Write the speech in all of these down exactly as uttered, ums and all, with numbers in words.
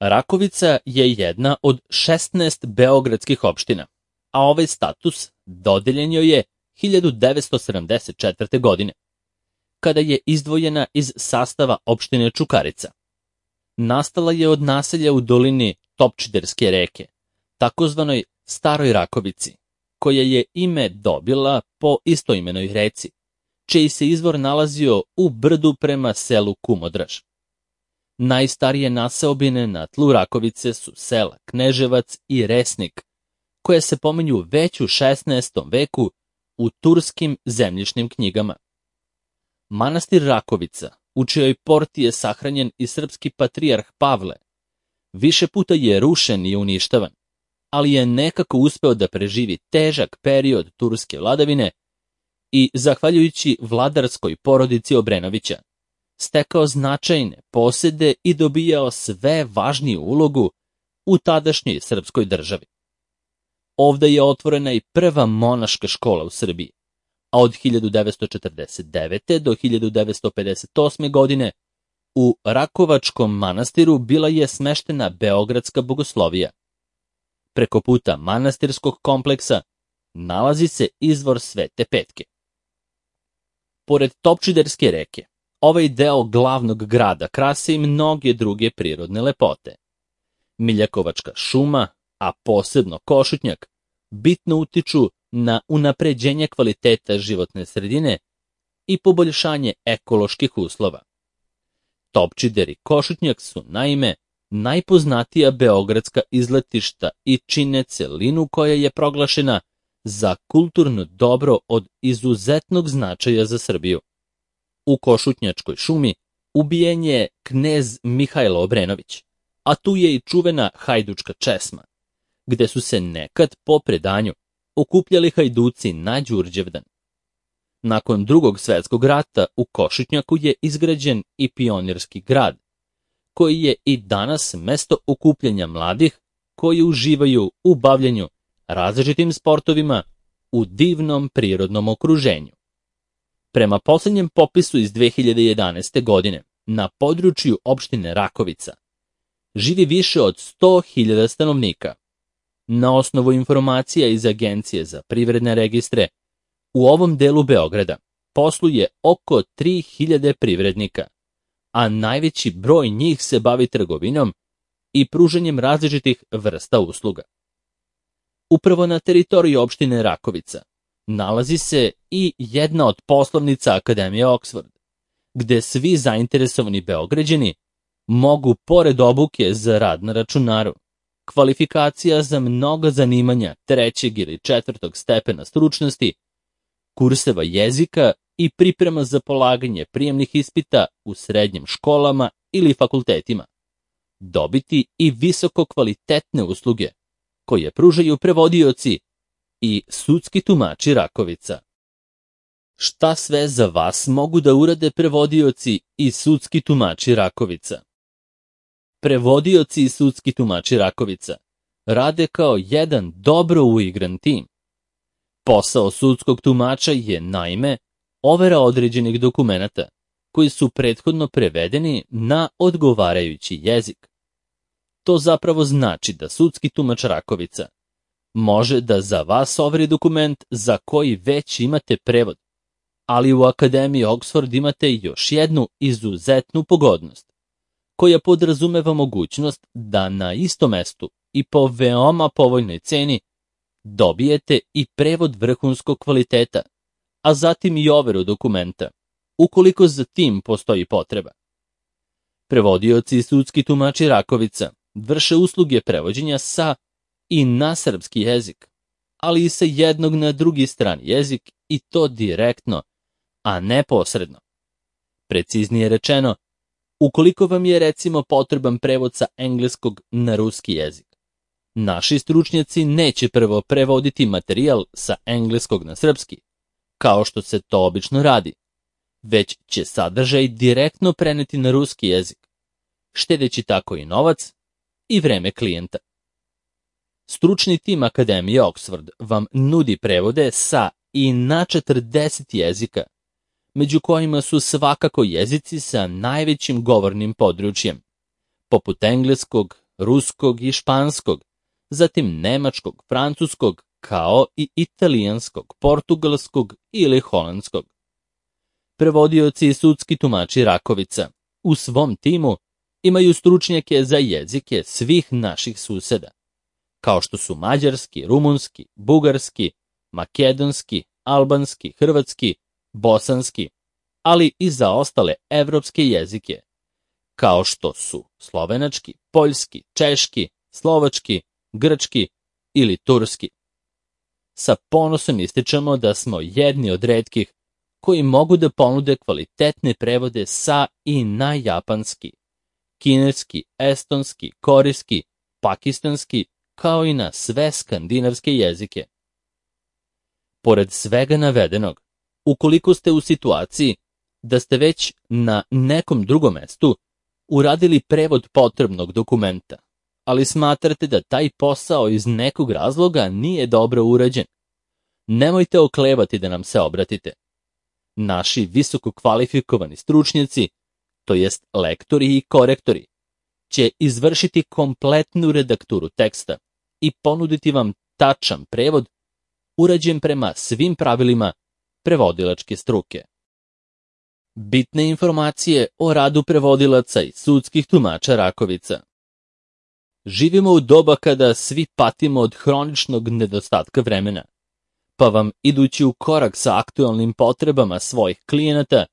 Rakovica je jedna od šesnaest beogradskih opština, a ovaj status dodeljen joj je hiljadu devetsto sedamdeset četvrte. godine, kada je izdvojena iz sastava opštine Čukarica. Nastala je od naselja u dolini Topčiderske reke, takozvanoj Staroj Rakovici, koja je ime dobila po istoimenoj reci, čiji se izvor nalazio u brdu prema selu Kumodraž. Najstarije naseobine na tlu Rakovice su sela Kneževac i Resnik, koje se pominju već u šesnaestom veku u turskim zemljišnim knjigama. Manastir Rakovica, u čijoj porti je sahranjen i srpski patrijarh Pavle, više puta je rušen i uništavan, ali je nekako uspeo da preživi težak period turske vladavine i, zahvaljujući vladarskoj porodici Obrenovića, stekao značajne posede i dobijao sve važniju ulogu u tadašnjoj srpskoj državi. Ovde je otvorena i prva monaška škola u Srbiji, a od hiljadu devetsto četrdeset devete. do hiljadu devetsto pedeset osme. godine u Rakovačkom manastiru bila je smeštena Beogradska bogoslovija. Preko puta manastirskog kompleksa nalazi se izvor Svete Petke. Pored Topčiderske reke, ovaj deo glavnog grada krase i mnoge druge prirodne lepote. Miljakovačka šuma, a posebno Košutnjak, bitno utiču na unapređenje kvaliteta životne sredine i poboljšanje ekoloških uslova. Topčider i Košutnjak su, naime, najpoznatija beogradska izletišta i čine celinu koja je proglašena za kulturno dobro od izuzetnog značaja za Srbiju. U Košutnjačkoj šumi ubijen je knez Mihajlo Obrenović, a tu je i čuvena hajdučka česma, gde su se nekad po predanju okupljali hajduci na Đurđevdan. Nakon Drugog svetskog rata u Košutnjaku je izgrađen i pionirski grad, koji je i danas mesto okupljanja mladih koji uživaju u bavljenju različitim sportovima u divnom prirodnom okruženju. Prema poslednjem popisu iz dve hiljade jedanaeste. godine, na području opštine Rakovica živi više od sto hiljada stanovnika. Na osnovu informacija iz Agencije za privredne registre, u ovom delu Beograda posluje oko tri hiljade privrednika, a najveći broj njih se bavi trgovinom i pružanjem različitih vrsta usluga. Upravo na teritoriji opštine Rakovica nalazi se i jedna od poslovnica Akademije Oxford, gde svi zainteresovani Beograđani mogu, pored obuke za rad na računaru, kvalifikacija za mnoga zanimanja trećeg ili četvrtog stepena stručnosti, kurseva jezika i priprema za polaganje prijemnih ispita u srednjim školama ili fakultetima, dobiti i visoko kvalitetne usluge koje pružaju prevodioci i sudski tumači Rakovica. Šta sve za vas mogu da urade prevodioci i sudski tumači Rakovica? Prevodioci i sudski tumači Rakovica rade kao jedan dobro uigran tim. Posao sudskog tumača je, naime, overa određenih dokumenata koji su prethodno prevedeni na odgovarajući jezik. To zapravo znači da sudski tumač Rakovica može da za vas overi dokument za koji već imate prevod, ali u Akademiji Oxford imate još jednu izuzetnu pogodnost, koja podrazumeva mogućnost da na istom mestu i po veoma povoljnoj ceni dobijete i prevod vrhunskog kvaliteta, a zatim i overu dokumenta, ukoliko za tim postoji potreba. Prevodioci i sudski tumači Rakovica vrše usluge prevođenja sa i na srpski jezik, ali i sa jednog na drugi strani jezik, i to direktno, a ne posredno. Preciznije rečeno, ukoliko vam je recimo potreban prevod sa engleskog na ruski jezik, naši stručnjaci neće prvo prevoditi materijal sa engleskog na srpski, kao što se to obično radi, već će sadržaj direktno preneti na ruski jezik, štedeći tako i novac i vreme klijenta. Stručni tim Akademije Oxford vam nudi prevode sa i na četrdeset jezika, među kojima su svakako jezici sa najvećim govornim područjem, poput engleskog, ruskog i španskog, zatim nemačkog, francuskog, kao i italijanskog, portugalskog ili holandskog. Prevodioci i sudski tumači Rakovica u svom timu imaju stručnjake za jezike svih naših suseda, kao što su mađarski, rumunski, bugarski, makedonski, albanski, hrvatski, bosanski, ali i za ostale evropske jezike, kao što su slovenački, poljski, češki, slovački, grčki ili turski. Sa ponosom ističemo da smo jedni od retkih koji mogu da ponude kvalitetne prevode sa i na japanski, kineski, estonski, korejski, pakistanski, kao i na sve skandinavske jezike. Pored svega navedenog, ukoliko ste u situaciji da ste već na nekom drugom mestu uradili prevod potrebnog dokumenta, ali smatrate da taj posao iz nekog razloga nije dobro urađen, nemojte oklevati da nam se obratite. Naši visoko kvalifikovani stručnjaci, to jest lektori i korektori, će izvršiti kompletnu redakturu teksta i ponuditi vam tačan prevod urađen prema svim pravilima prevodilačke struke. Bitne informacije o radu prevodilaca i sudskih tumača Rakovica. Živimo u doba kada svi patimo od hroničnog nedostatka vremena, pa vam, idući u korak sa aktualnim potrebama svojih klijenata,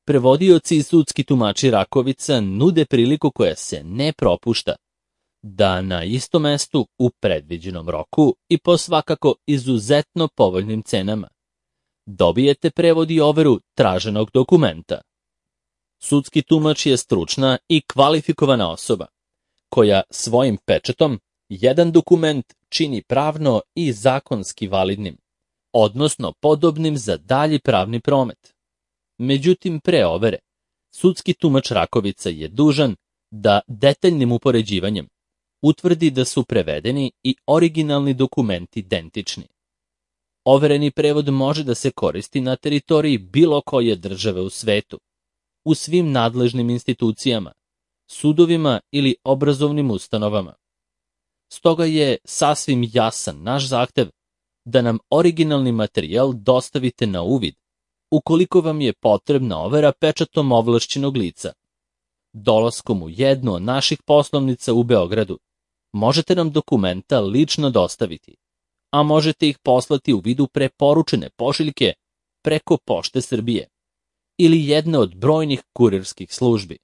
prevodioci i sudski tumači Rakovica nude priliku koja se ne propušta, da na istom mestu u predviđenom roku i po svakako izuzetno povoljnim cenama dobijete prevod i overu traženog dokumenta. Sudski tumač je stručna i kvalifikovana osoba, koja svojim pečatom jedan dokument čini pravno i zakonski validnim, odnosno podobnim za dalji pravni promet. Međutim, pre overe, sudski tumač Rakovica je dužan da detaljnim upoređivanjem utvrdi da su prevedeni i originalni dokumenti identični. Overeni prevod može da se koristi na teritoriji bilo koje države u svetu, u svim nadležnim institucijama, sudovima ili obrazovnim ustanovama. Stoga je sasvim jasan naš zahtev da nam originalni materijal dostavite na uvid, ukoliko vam je potrebna overa pečatom ovlašćenog lica. Dolaskom u jednu od naših poslovnica u Beogradu možete nam dokumenta lično dostaviti, a možete ih poslati u vidu preporučene pošiljke preko Pošte Srbije ili jedne od brojnih kurirskih službi.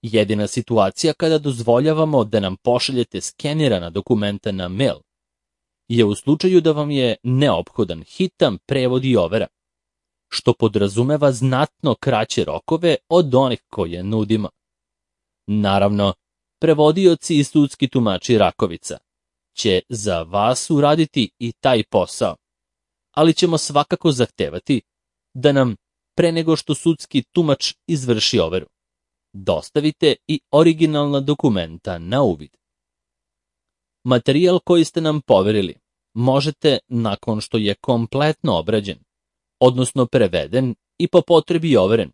Jedina situacija kada dozvoljavamo da nam pošaljete skenirana dokumenta na mail je u slučaju da vam je neophodan hitan prevod i overa, što podrazumeva znatno kraće rokove od onih koje nudimo. Naravno, prevodioci i sudski tumači Rakovica će za vas uraditi i taj posao, ali ćemo svakako zahtevati da nam, pre nego što sudski tumač izvrši overu, dostavite i originalna dokumenta na uvid. Materijal koji ste nam poverili možete, nakon što je kompletno obrađen, odnosno preveden i po potrebi overen,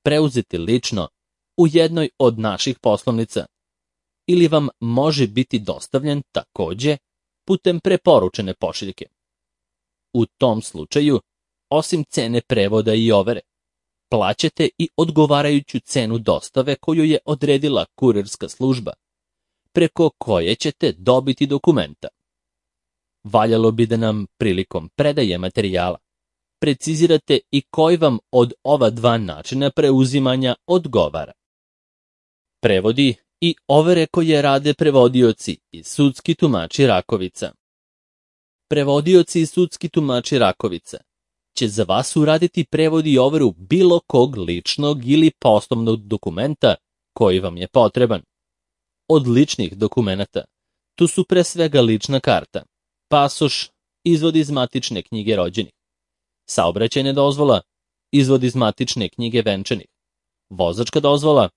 preuzeti lično u jednoj od naših poslovnica ili vam može biti dostavljen takođe putem preporučene pošiljke. U tom slučaju, osim cene prevoda i overe, plaćate i odgovarajuću cenu dostave koju je odredila kurirska služba, preko koje ćete dobiti dokumenta. Valjalo bi da nam prilikom predaje materijala precizirate i koji vam od ova dva načina preuzimanja odgovara. Prevodi i overe koje rade prevodioci i sudski tumači Rakovica. Prevodioci i sudski tumači Rakovica će za vas uraditi prevod i overu bilo kog ličnog ili poslovnog dokumenta koji vam je potreban. Od ličnih dokumenata tu su pre svega lična karta, pasoš, izvod iz matične knjige rođenih, saobraćajna dozvola, izvod iz matične knjige venčanih, vozačka dozvola,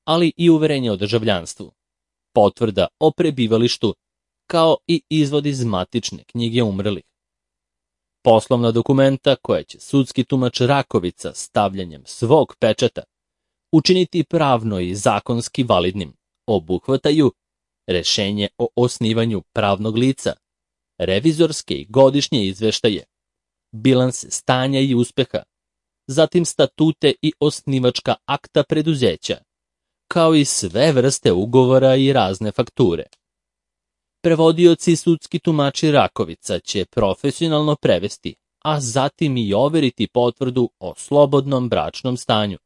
ali i uverenje o državljanstvu, potvrda o prebivalištu, kao i izvod iz matične knjige umrlih. Poslovna dokumenta koja će sudski tumač Rakovica stavljanjem svog pečata učiniti pravno i zakonski validnim obuhvataju rešenje o osnivanju pravnog lica, revizorske i godišnje izveštaje, bilanse stanja i uspeha, zatim statute i osnivačka akta preduzeća, kao i sve vrste ugovora i razne fakture. Prevodioci i sudski tumači Rakovica će profesionalno prevesti, a zatim i overiti potvrdu o slobodnom bračnom stanju,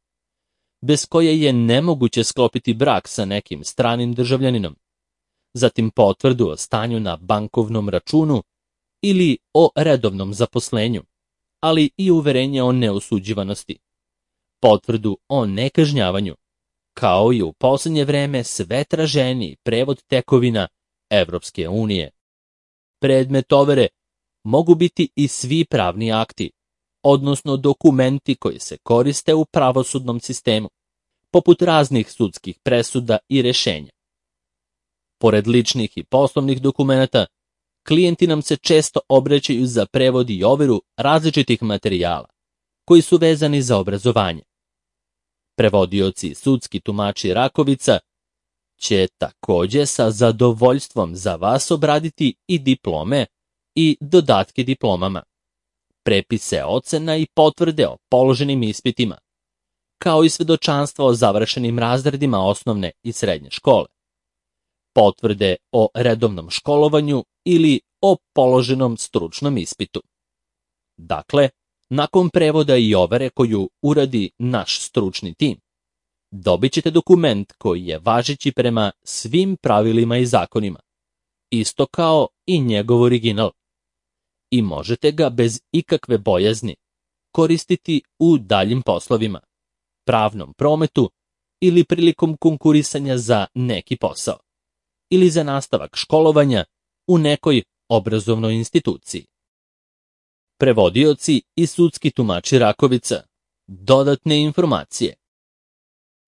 bez koje je nemoguće sklopiti brak sa nekim stranim državljaninom, zatim potvrdu o stanju na bankovnom računu ili o redovnom zaposlenju, ali i uverenje o neosuđivanosti, potvrdu o nekažnjavanju, kao i u poslednje vreme sve traženiji prevod tekovina Evropske unije. Predmet overe mogu biti i svi pravni akti, odnosno dokumenti koji se koriste u pravosudnom sistemu, poput raznih sudskih presuda i rešenja. Pored ličnih i poslovnih dokumenata, klijenti nam se često obraćaju za prevod i overu različitih materijala, koji su vezani za obrazovanje. Prevodioci i sudski tumači Rakovica će takođe sa zadovoljstvom za vas obraditi i diplome i dodatke diplomama, prepise ocena i potvrde o položenim ispitima, kao i svedočanstva o završenim razredima osnovne i srednje škole, potvrde o redovnom školovanju ili o položenom stručnom ispitu. Dakle, nakon prevoda i overe koju uradi naš stručni tim, dobit ćete dokument koji je važeći prema svim pravilima i zakonima, isto kao i njegov original, i možete ga bez ikakve bojazni koristiti u daljim poslovima, pravnom prometu ili prilikom konkurisanja za neki posao, ili za nastavak školovanja u nekoj obrazovnoj instituciji. Prevodioci i sudski tumači Rakovica. Dodatne informacije.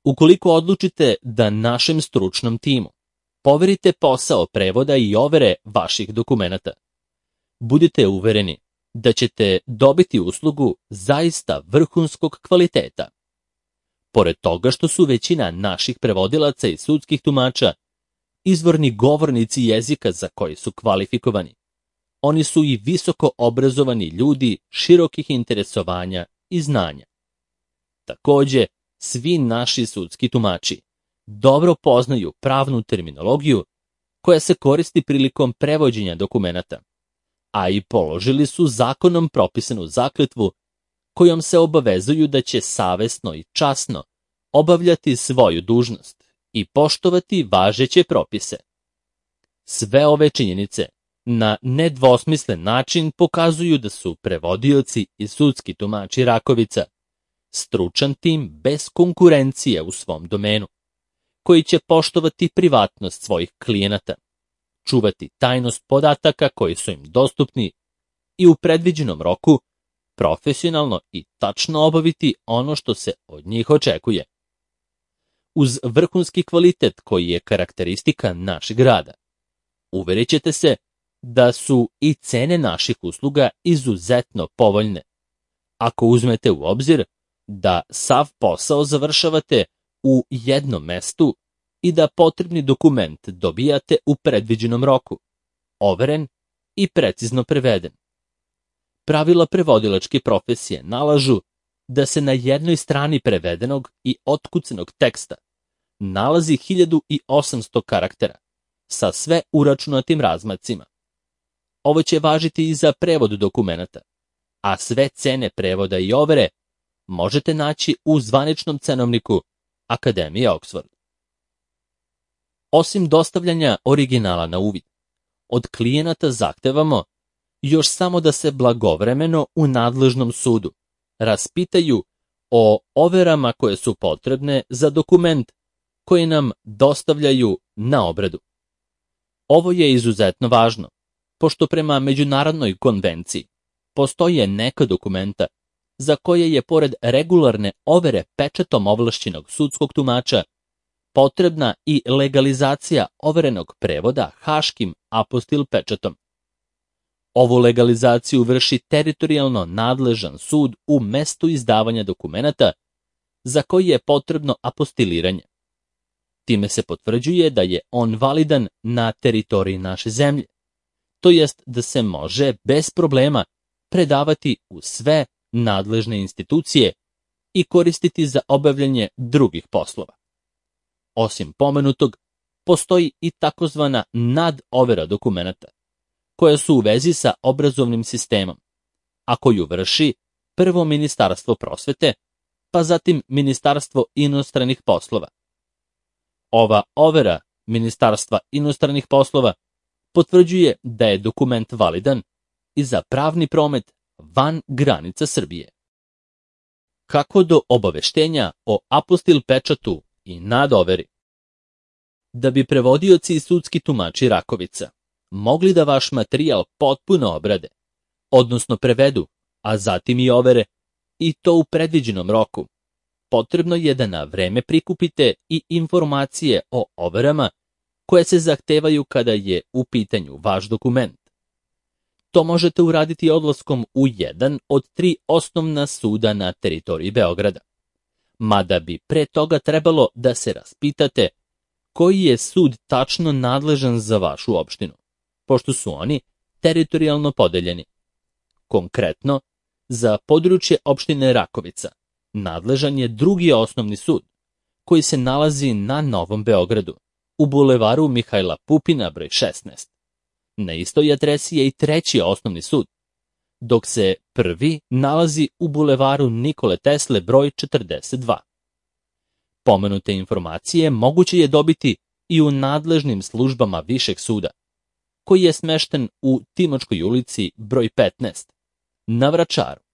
Ukoliko odlučite da našem stručnom timu poverite posao prevoda i overe vaših dokumenata, budite uvereni da ćete dobiti uslugu zaista vrhunskog kvaliteta. Pored toga što su većina naših prevodilaca i sudskih tumača izvorni govornici jezika za koji su kvalifikovani, oni su i visoko obrazovani ljudi širokih interesovanja i znanja. Takođe, svi naši sudski tumači dobro poznaju pravnu terminologiju koja se koristi prilikom prevođenja dokumenata, a i položili su zakonom propisanu zakletvu kojom se obavezuju da će savesno i časno obavljati svoju dužnost i poštovati važeće propise. Sve ove činjenice na nedvosmislen način pokazuju da su prevodioci i sudski tumači Rakovica stručan tim bez konkurencije u svom domenu, koji će poštovati privatnost svojih klijenata, čuvati tajnost podataka koji su im dostupni i u predviđenom roku profesionalno i tačno obaviti ono što se od njih očekuje. Uz vrhunski kvalitet koji je karakteristika našeg rada, uverit ćete se da su i cene naših usluga izuzetno povoljne, ako uzmete u obzir da sav posao završavate u jednom mestu i da potrebni dokument dobijate u predviđenom roku, overen i precizno preveden. Pravila prevodilačke profesije nalažu da se na jednoj strani prevedenog i otkucanog teksta nalazi hiljadu osamsto karaktera sa sve uračunatim razmacima. Ovo će važiti i za prevod dokumenata, a sve cene prevoda i overe možete naći u zvaničnom cenovniku Akademije Oxford. Osim dostavljanja originala na uvid, od klijenata zahtevamo još samo da se blagovremeno u nadležnom sudu raspitaju o overama koje su potrebne za dokument koji nam dostavljaju na obradu. Ovo je izuzetno važno, pošto prema Međunarodnoj konvenciji postoje neka dokumenta za koje je pored regularne overe pečatom ovlašćenog sudskog tumača potrebna i legalizacija overenog prevoda haškim apostil pečatom. Ovu legalizaciju vrši teritorijalno nadležan sud u mestu izdavanja dokumenata za koji je potrebno apostiliranje. Time se potvrđuje da je on validan na teritoriji naše zemlje, to jest da se može bez problema predavati u sve nadležne institucije i koristiti za obavljanje drugih poslova. Osim pomenutog, postoji i takozvana nadovera dokumenata, koja su u vezi sa obrazovnim sistemom, a koju vrši prvo Ministarstvo prosvete, pa zatim Ministarstvo inostranih poslova. Ova overa Ministarstva inostranih poslova potvrđuje da je dokument validan i za pravni promet van granica Srbije. Kako do obaveštenja o apostil pečatu i nadoveri? Da bi prevodioci i sudski tumači Rakovica mogli da vaš materijal potpuno obrade, odnosno prevedu, a zatim i overe, i to u predviđenom roku, potrebno je da na vreme prikupite i informacije o overama koje se zahtevaju kada je u pitanju vaš dokument. To možete uraditi odlaskom u jedan od tri osnovna suda na teritoriji Beograda. Mada bi pre toga trebalo da se raspitate koji je sud tačno nadležan za vašu opštinu, pošto su oni teritorijalno podeljeni. Konkretno, za područje opštine Rakovica nadležan je drugi osnovni sud, koji se nalazi na Novom Beogradu, u bulevaru Mihajla Pupina broj šesnaest. Na istoj adresi je i treći osnovni sud, dok se prvi nalazi u bulevaru Nikole Tesle broj četrdeset dva. Pomenute informacije moguće je dobiti i u nadležnim službama Višeg suda, koji je smešten u Timočkoj ulici broj petnaest, na Vračaru.